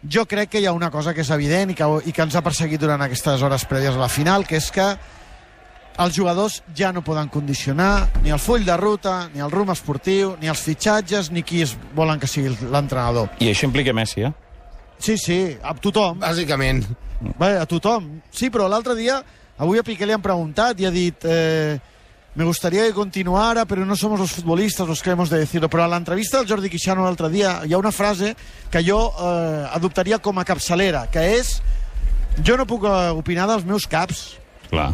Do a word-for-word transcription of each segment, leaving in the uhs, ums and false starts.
Jo crec que hi ha una cosa que és evident i que, i que ens ha perseguit durant aquestes hores prèvies a la final, que és que els jugadors ja no poden condicionar ni el full de ruta, ni el rumb esportiu, ni els fitxatges, ni qui es volen que sigui l'entrenador. I això implica Messi, eh? Sí, sí, a tothom. Bàsicament. Bé, a tothom. Sí, però l'altre dia, avui a Piqué li han preguntat i ha dit... Eh, me gustaría que continuara, pero no somos los futbolistas los que hemos de decirlo. Però a l'entrevista del Jordi Quixano l'altre dia hi ha una frase que jo eh, adoptaria com a capçalera, que és: jo no puc opinar dels meus caps. Clar.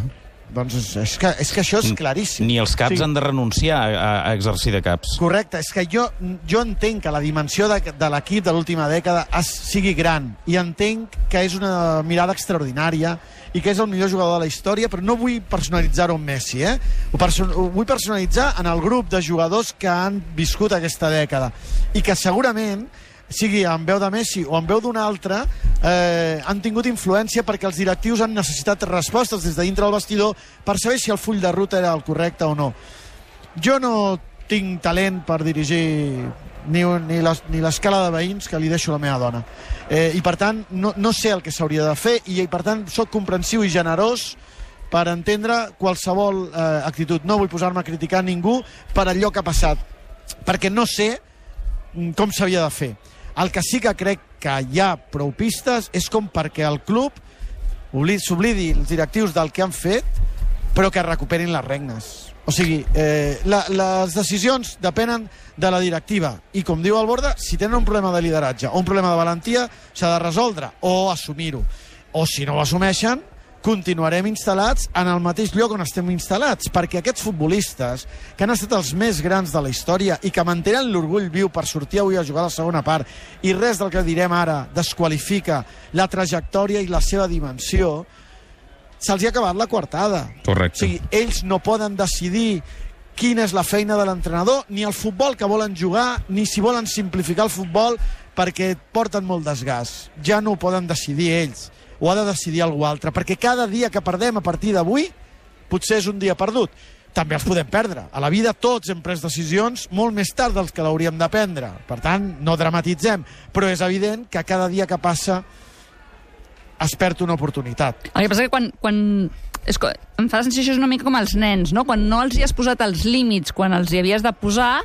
Doncs és, és, que, és que això és claríssim. Ni els caps sí. han de renunciar a, a exercir de caps. Correcte, és que jo, jo entenc que la dimensió de, de l'equip de l'última dècada es, sigui gran, i entenc que és una mirada extraordinària i que és el millor jugador de la història, però no vull personalitzar-ho en Messi, eh? Ho, perso ho vull personalitzar en el grup de jugadors que han viscut aquesta dècada i que segurament, sigui en veu de Messi o en veu d'un altre, eh, han tingut influència perquè els directius han necessitat respostes des de dintre del vestidor per saber si el full de ruta era el correcte o no. Jo no tinc talent per dirigir ni, ni l'escala de veïns que li deixo a la meva dona. Eh, I per tant, no, no sé el que s'hauria de fer i per tant soc comprensiu i generós per entendre qualsevol eh, actitud. No vull posar-me a criticar ningú per allò que ha passat, perquè no sé com s'havia de fer. El que sí que crec que hi ha prou pistes és com perquè el club s'oblidi els directius del que han fet, però que recuperin les regnes. O sigui, eh, la, les decisions depenen de la directiva i, com diu el Borda, si tenen un problema de lideratge o un problema de valentia, s'ha de resoldre o assumir-ho. O si no ho assumeixen, continuarem instal·lats en el mateix lloc on estem instal·lats, perquè aquests futbolistes que han estat els més grans de la història i que mantenen l'orgull viu per sortir avui a jugar a la segona part, i res del que direm ara desqualifica la trajectòria i la seva dimensió, se'ls ha acabat la coartada. Correcte. O sigui, ells no poden decidir quina és la feina de l'entrenador, ni el futbol que volen jugar, ni si volen simplificar el futbol perquè porten molt desgast. Ja no ho poden decidir ells. Ho ha de decidir algú altre, perquè cada dia que perdem a partir d'avui potser és un dia perdut. També els podem perdre. A la vida tots hem pres decisions molt més tard dels que l'hauríem de prendre. Per tant, no dramatitzem, però és evident que cada dia que passa es perd una oportunitat. El que passa que quan... quan... És que em fa la sensació una mica com els nens, no? Quan no els hi has posat els límits, quan els hi havies de posar,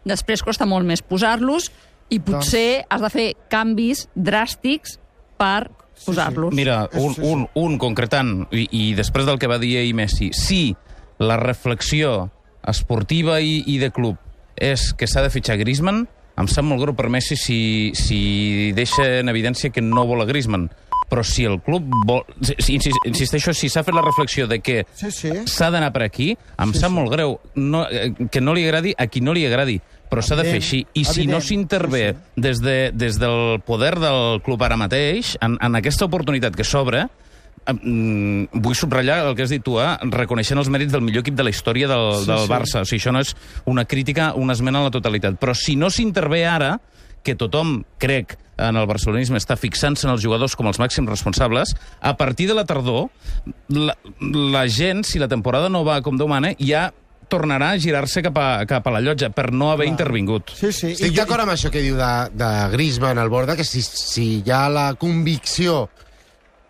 després costa molt més posar-los i potser doncs... has de fer canvis dràstics per posar-los. Sí, sí. Mira, un, un, un concretant, i, i després del que va dir ahir Messi, si la reflexió esportiva i, i de club és que s'ha de fitxar Griezmann, em sap molt greu per Messi si, si deixa en evidència que no vol a Griezmann. Però si el club vol... Si, insisteixo, si s'ha fet la reflexisió de que s'ha sí, sí. d'anar per aquí, em sí, sap sí. molt greu no, que no li agradi a qui no li agradi, però s'ha de fer així. I si evident. no s'intervé sí, sí. des, de, des del poder del club ara mateix, en, en aquesta oportunitat que s'obre, eh, vull subratllar el que has dit tu, eh, reconeixent els mèrits del millor equip de la història del, sí, del Barça. Sí. O sigui, això no és una crítica, una esmena a la totalitat. Però si no s'intervé ara, que tothom, crec, en el barcelonisme està fixant-se en els jugadors com els màxims responsables, a partir de la tardor, la, la gent, si la temporada no va com Déu mana, ja tornarà a girar-se cap a, cap a la llotja per no haver Clar. intervingut. Sí, sí. Estic d'acord amb això que diu de, de Griezmann al Borda, que si, si hi ha la convicció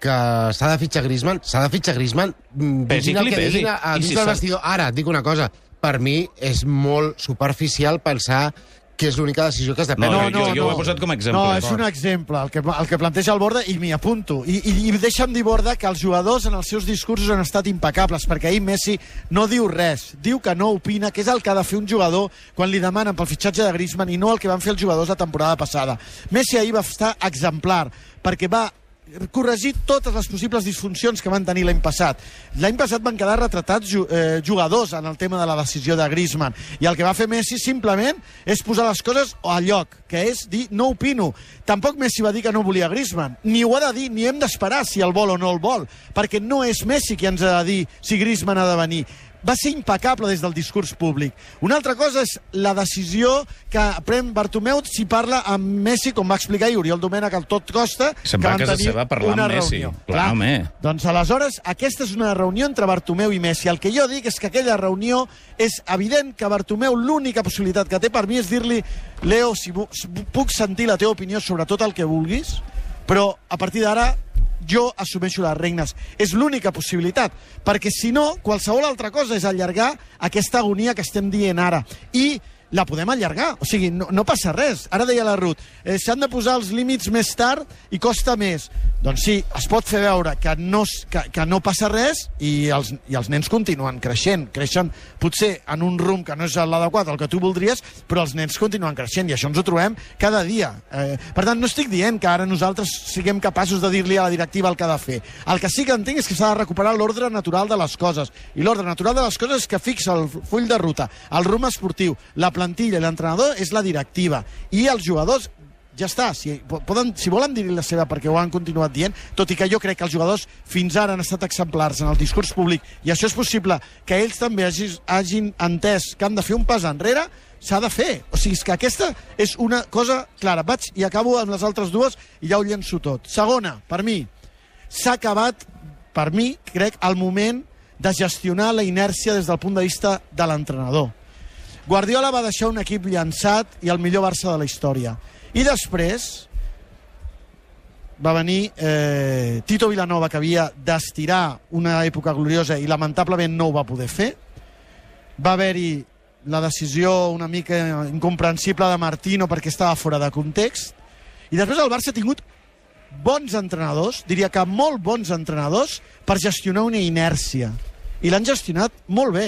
que s'ha de fitxar Griezmann, s'ha de fitxar Griezmann, diguin el que diguin a, a dins si del vestidor. Ara, et dic una cosa, per mi és molt superficial pensar que és l'única decisió que has de prendre. No, no, jo, jo no. ho he posat com a exemple. No, és un exemple, el que, el que planteja el Borda, i m'hi apunto. I, i, I deixa'm dir, Borda, que els jugadors en els seus discursos han estat impecables, perquè ahir Messi no diu res, diu que no opina, que és el que ha de fer un jugador quan li demanen pel fitxatge de Griezmann i no el que van fer els jugadors la temporada passada. Messi ahir va estar exemplar, perquè va corregir totes les possibles disfuncions que van tenir l'any passat. L'any passat van quedar retratats eh, jugadors en el tema de la decisió de Griezmann, i el que va fer Messi simplement és posar les coses a lloc, que és dir no opino. Tampoc Messi va dir que no volia Griezmann, ni ho ha de dir, ni hem d'esperar si el vol o no el vol, perquè no és Messi qui ens ha de dir si Griezmann ha de venir. Va ser impecable des del discurs públic. Una altra cosa és la decisió que pren Bartomeu si parla amb Messi, com va explicar i Oriol Domènech al Tot Costa, Se'n que va van a casa tenir seva a parlar una amb Messi. reunió. Clar, Clar. home. Doncs aleshores, aquesta és una reunió entre Bartomeu i Messi. El que jo dic és que aquella reunió és evident que Bartomeu l'única possibilitat que té per mi és dir-li Leo, si puc sentir la teva opinió sobre tot el que vulguis, Però a partir d'ara jo assumeixo les regnes. És l'única possibilitat, perquè si no, qualsevol altra cosa és allargar aquesta agonia que estem dient ara. I la podem allargar, o sigui, no, no passa res. Ara deia la Ruth, eh, s'han de posar els límits més tard i costa més. Doncs sí, es pot fer veure que no, que, que no passa res i els, i els nens continuen creixent. Creixen potser en un rumb que no és l'adequat, el que tu voldries, però els nens continuen creixent i això ens ho trobem cada dia. Eh, per tant, no estic dient que ara nosaltres siguem capaços de dir-li a la directiva el que ha de fer. El que sí que entenc és que s'ha de recuperar l'ordre natural de les coses. I l'ordre natural de les coses és que fixa el full de ruta, el rumb esportiu, la plantilla i l'entrenador és la directiva. I els jugadors, ja està, si, poden, si volen dir-li la seva perquè ho han continuat dient, tot i que jo crec que els jugadors fins ara han estat exemplars en el discurs públic i això és possible que ells també hagin, hagin entès que han de fer un pas enrere, s'ha de fer. O sigui, és que aquesta és una cosa clara. Vaig i acabo amb les altres dues i ja ho llenço tot. Segona, per mi, s'ha acabat, per mi, crec, el moment de gestionar la inèrcia des del punt de vista de l'entrenador. Guardiola va deixar un equip llançat i el millor Barça de la història. I després va venir eh, Tito Vilanova, que havia d'estirar una època gloriosa i lamentablement no ho va poder fer. Va haver-hi la decisió una mica incomprensible de Martino perquè estava fora de context. I després el Barça ha tingut bons entrenadors, diria que molt bons entrenadors, per gestionar una inèrcia. I l'han gestionat molt bé.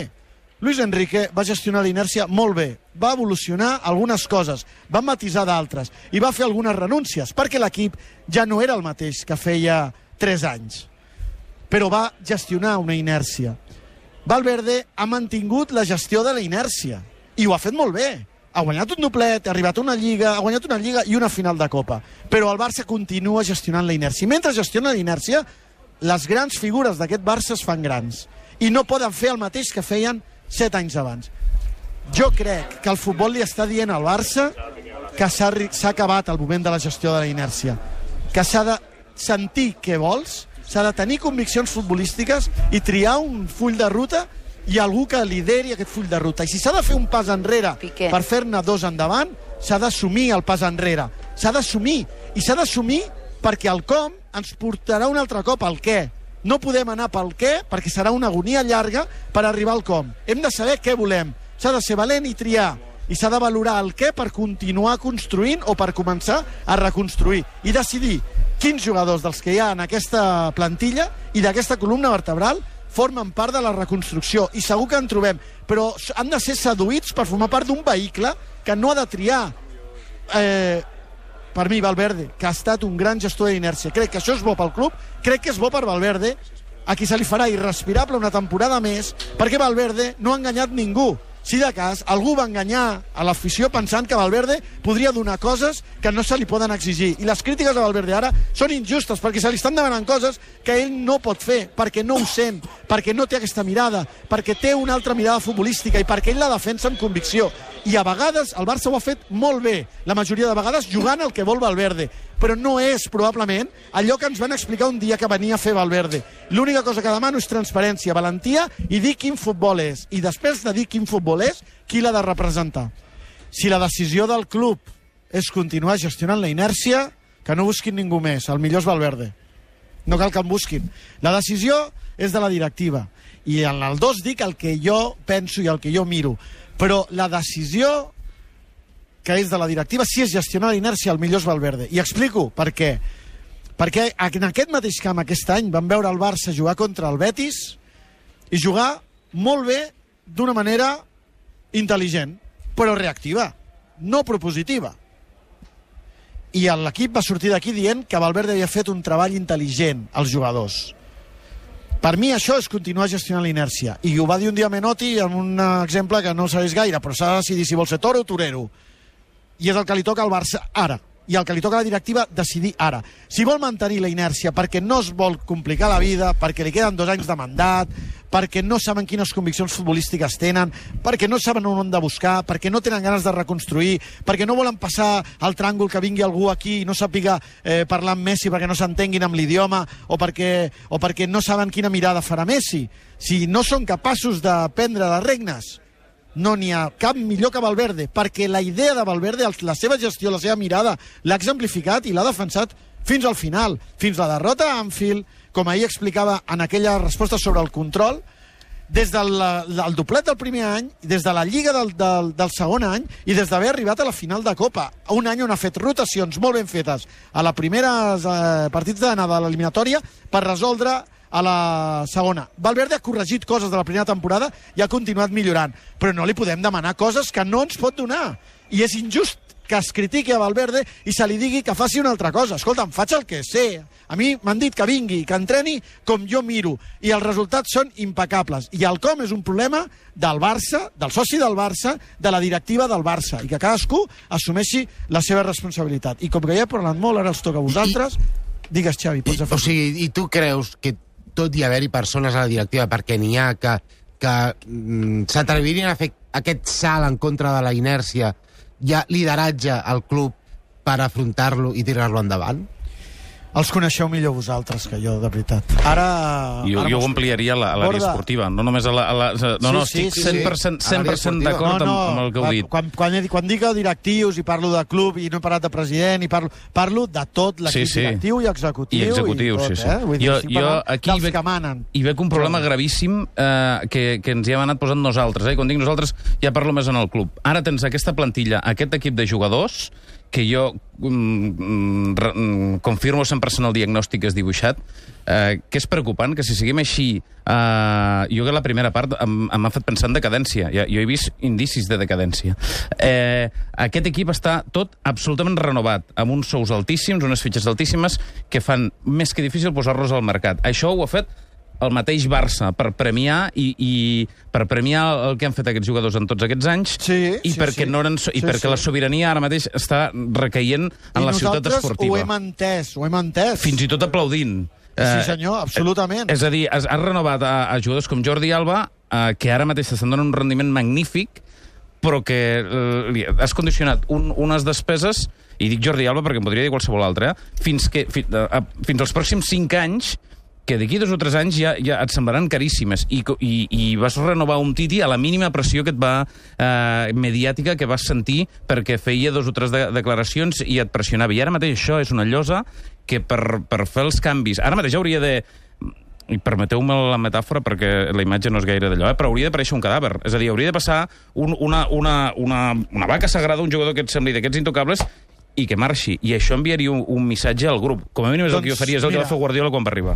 Luis Enrique va gestionar la inèrcia molt bé, va evolucionar algunes coses, va matisar d'altres i va fer algunes renúncies, perquè l'equip ja no era el mateix que feia tres anys. Però va gestionar una inèrcia. Valverde ha mantingut la gestió de la inèrcia i ho ha fet molt bé. Ha guanyat un doblet, ha arribat a una lliga, ha guanyat una lliga i una final de Copa. Però el Barça continua gestionant la inèrcia. I mentre gestiona la inèrcia, les grans figures d'aquest Barça es fan grans i no poden fer el mateix que feien set anys abans. Jo crec que el futbol li està dient al Barça que s'ha acabat el moment de la gestió de la inèrcia, que s'ha de sentir què vols, s'ha de tenir conviccions futbolístiques i triar un full de ruta i algú que lideri aquest full de ruta. I si s'ha de fer un pas enrere Piqué per fer-ne dos endavant, s'ha d'assumir el pas enrere. S'ha d'assumir. I s'ha d'assumir perquè el com ens portarà un altre cop al què. No podem anar pel què, perquè serà una agonia llarga per arribar al com. Hem de saber què volem. S'ha de ser valent i triar. I s'ha de valorar el què per continuar construint o per començar a reconstruir. I decidir quins jugadors dels que hi ha en aquesta plantilla i d'aquesta columna vertebral formen part de la reconstrucció. I segur que en trobem. Però han de ser seduïts per formar part d'un vehicle que no ha de triar. Eh... Per mi, Valverde, que ha estat un gran gestor d'inèrcia. Crec que això és bo pel club, crec que és bo per Valverde, a qui se li farà irrespirable una temporada més, perquè Valverde no ha enganyat ningú. Si de cas, algú va enganyar a l'afició pensant que Valverde podria donar coses que no se li poden exigir. I les crítiques a Valverde ara són injustes, perquè se li estan demanant coses que ell no pot fer, perquè no ho sent, perquè no té aquesta mirada, perquè té una altra mirada futbolística i perquè ell la defensa amb convicció. I a vegades el Barça ho ha fet molt bé, la majoria de vegades jugant el que vol Valverde, però no és probablement allò que ens van explicar un dia que venia a fer Valverde. L'única cosa que demano és transparència, valentia i dir quin futbol és. I després de dir quin futbol és, qui l'ha de representar. Si la decisió del club és continuar gestionant la inèrcia, que no busquin ningú més, el millor és Valverde. No cal que en busquin. La decisió és de la directiva. I en el dos dic el que jo penso i el que jo miro. Però la decisió que és de la directiva, si és gestionar la inèrcia, el millor és Valverde. I explico per què. Perquè en aquest mateix camp aquest any vam veure el Barça jugar contra el Betis i jugar molt bé d'una manera intel·ligent, però reactiva, no propositiva. I l'equip va sortir d'aquí dient que Valverde havia fet un treball intel·ligent als jugadors. Per mi això és continuar gestionant la inèrcia. I ho va dir un dia Menotti amb un exemple que no sabés gaire, però s'ha de decidir si vol ser toro o torero. I és el que li toca al Barça ara. I el que li toca a la directiva decidir ara. Si vol mantenir la inèrcia perquè no es vol complicar la vida, perquè li queden dos anys de mandat, perquè no saben quines conviccions futbolístiques tenen, perquè no saben on han de buscar, perquè no tenen ganes de reconstruir, perquè no volen passar al tràngol que vingui algú aquí i no sàpiga eh, parlar amb Messi perquè no s'entenguin amb l'idioma, o perquè, o perquè no saben quina mirada farà Messi. Si no són capaços de prendre les regnes, no n'hi ha cap millor que Valverde, perquè la idea de Valverde, la seva gestió, la seva mirada, l'ha exemplificat i l'ha defensat fins al final, fins la derrota a Anfield, com ahir explicava en aquella resposta sobre el control, des del el doblet del primer any, des de la Lliga del, del, del segon any i des d'haver arribat a la final de Copa. Un any on ha fet rotacions molt ben fetes a la primera eh, partits d'anada de l'eliminatòria per resoldre a la segona. Valverde ha corregit coses de la primera temporada i ha continuat millorant, però no li podem demanar coses que no ens pot donar. I és injust que es critiqui a Valverde i se li digui que faci una altra cosa. Escolta'm, faig el que sé. A mi m'han dit que vingui, que entreni com jo miro, i els resultats són impecables. I el com és un problema del Barça, del soci del Barça, de la directiva del Barça, i que cadascú assumeixi la seva responsabilitat. I com que ja he parlat molt, ara els toca a vosaltres. I, Digues, Xavi, pots afegir. O sigui, i tu creus que tot i haver-hi persones a la directiva, perquè n'hi ha que, que mm, s'atrevirien a fer aquest salt en contra de la inèrcia, hi ha lideratge al club per afrontar-lo i tirar-lo endavant? Els coneixeu millor vosaltres que jo, de veritat. Ara... Jo, ara jo ho ampliaria a l'àrea Borda. esportiva, no només a la... A la no, no, Sí, sí, estic cent per cent, sí. cent per cent d'acord no, no, amb, amb el que heu dit. Quan, quan, quan dic directius i parlo de club i no he parlat de president, i parlo, parlo de tot l'equip Sí, sí. directiu i executiu. I executiu, i tot, sí, sí. Eh? Vull dir, Jo- estic jo parlant aquí dels veig- que manen. I veig un problema gravíssim eh, que, que ens hi hem anat posant nosaltres. Eh? Quan dic nosaltres, ja parlo més en el club. Ara tens aquesta plantilla, aquest equip de jugadors, que jo mm, mm, confirmo cent per cent el diagnòstic que has dibuixat, eh, que és preocupant, que si seguim així, eh, jo que la primera part em, em ha fet pensar en decadència. Ja, jo he vist indicis de decadència. Eh, aquest equip està tot absolutament renovat, amb uns sous altíssims, unes fitxes altíssimes, que fan més que difícil posar-los al mercat. Això ho ha fet el mateix Barça per premiar i, i per premiar el que han fet aquests jugadors en tots aquests anys Sí, i sí, perquè, sí. no eren, i Sí, perquè sí. la sobirania ara mateix està recaient en I la ciutat nosaltres esportiva. ho hem entès, ho hem entès. Fins i tot aplaudint. Sí, senyor, absolutament. Eh, és a dir, has, has renovat a, a jugadors com Jordi Alba, eh, que ara mateix estan donant un rendiment magnífic, però que eh, li has condicionat un, unes despeses, i dic Jordi Alba perquè em podria dir qualsevol altre, eh, fins, que, fi, eh, fins als pròxims cinc anys, que d'aquí dos o tres anys ja, ja et semblaran caríssimes. I, i, I vas renovar un Titi a la mínima pressió que et va eh, mediàtica que vas sentir perquè feia dos o tres de, declaracions i et pressionava. I ara mateix això és una llosa que per, per fer els canvis... Ara mateix hauria de... I permeteu-me la metàfora perquè la imatge no és gaire d'allò, eh? Però hauria d'aparèixer un cadàver. És a dir, hauria de passar un, una, una, una, una vaca sagrada, un jugador que et sembli d'aquests intocables, i que marxi. I això enviaria un, un missatge al grup. Com a mínim és doncs, el que jo faria, és el mira, que va fer Guardiola quan va arribar.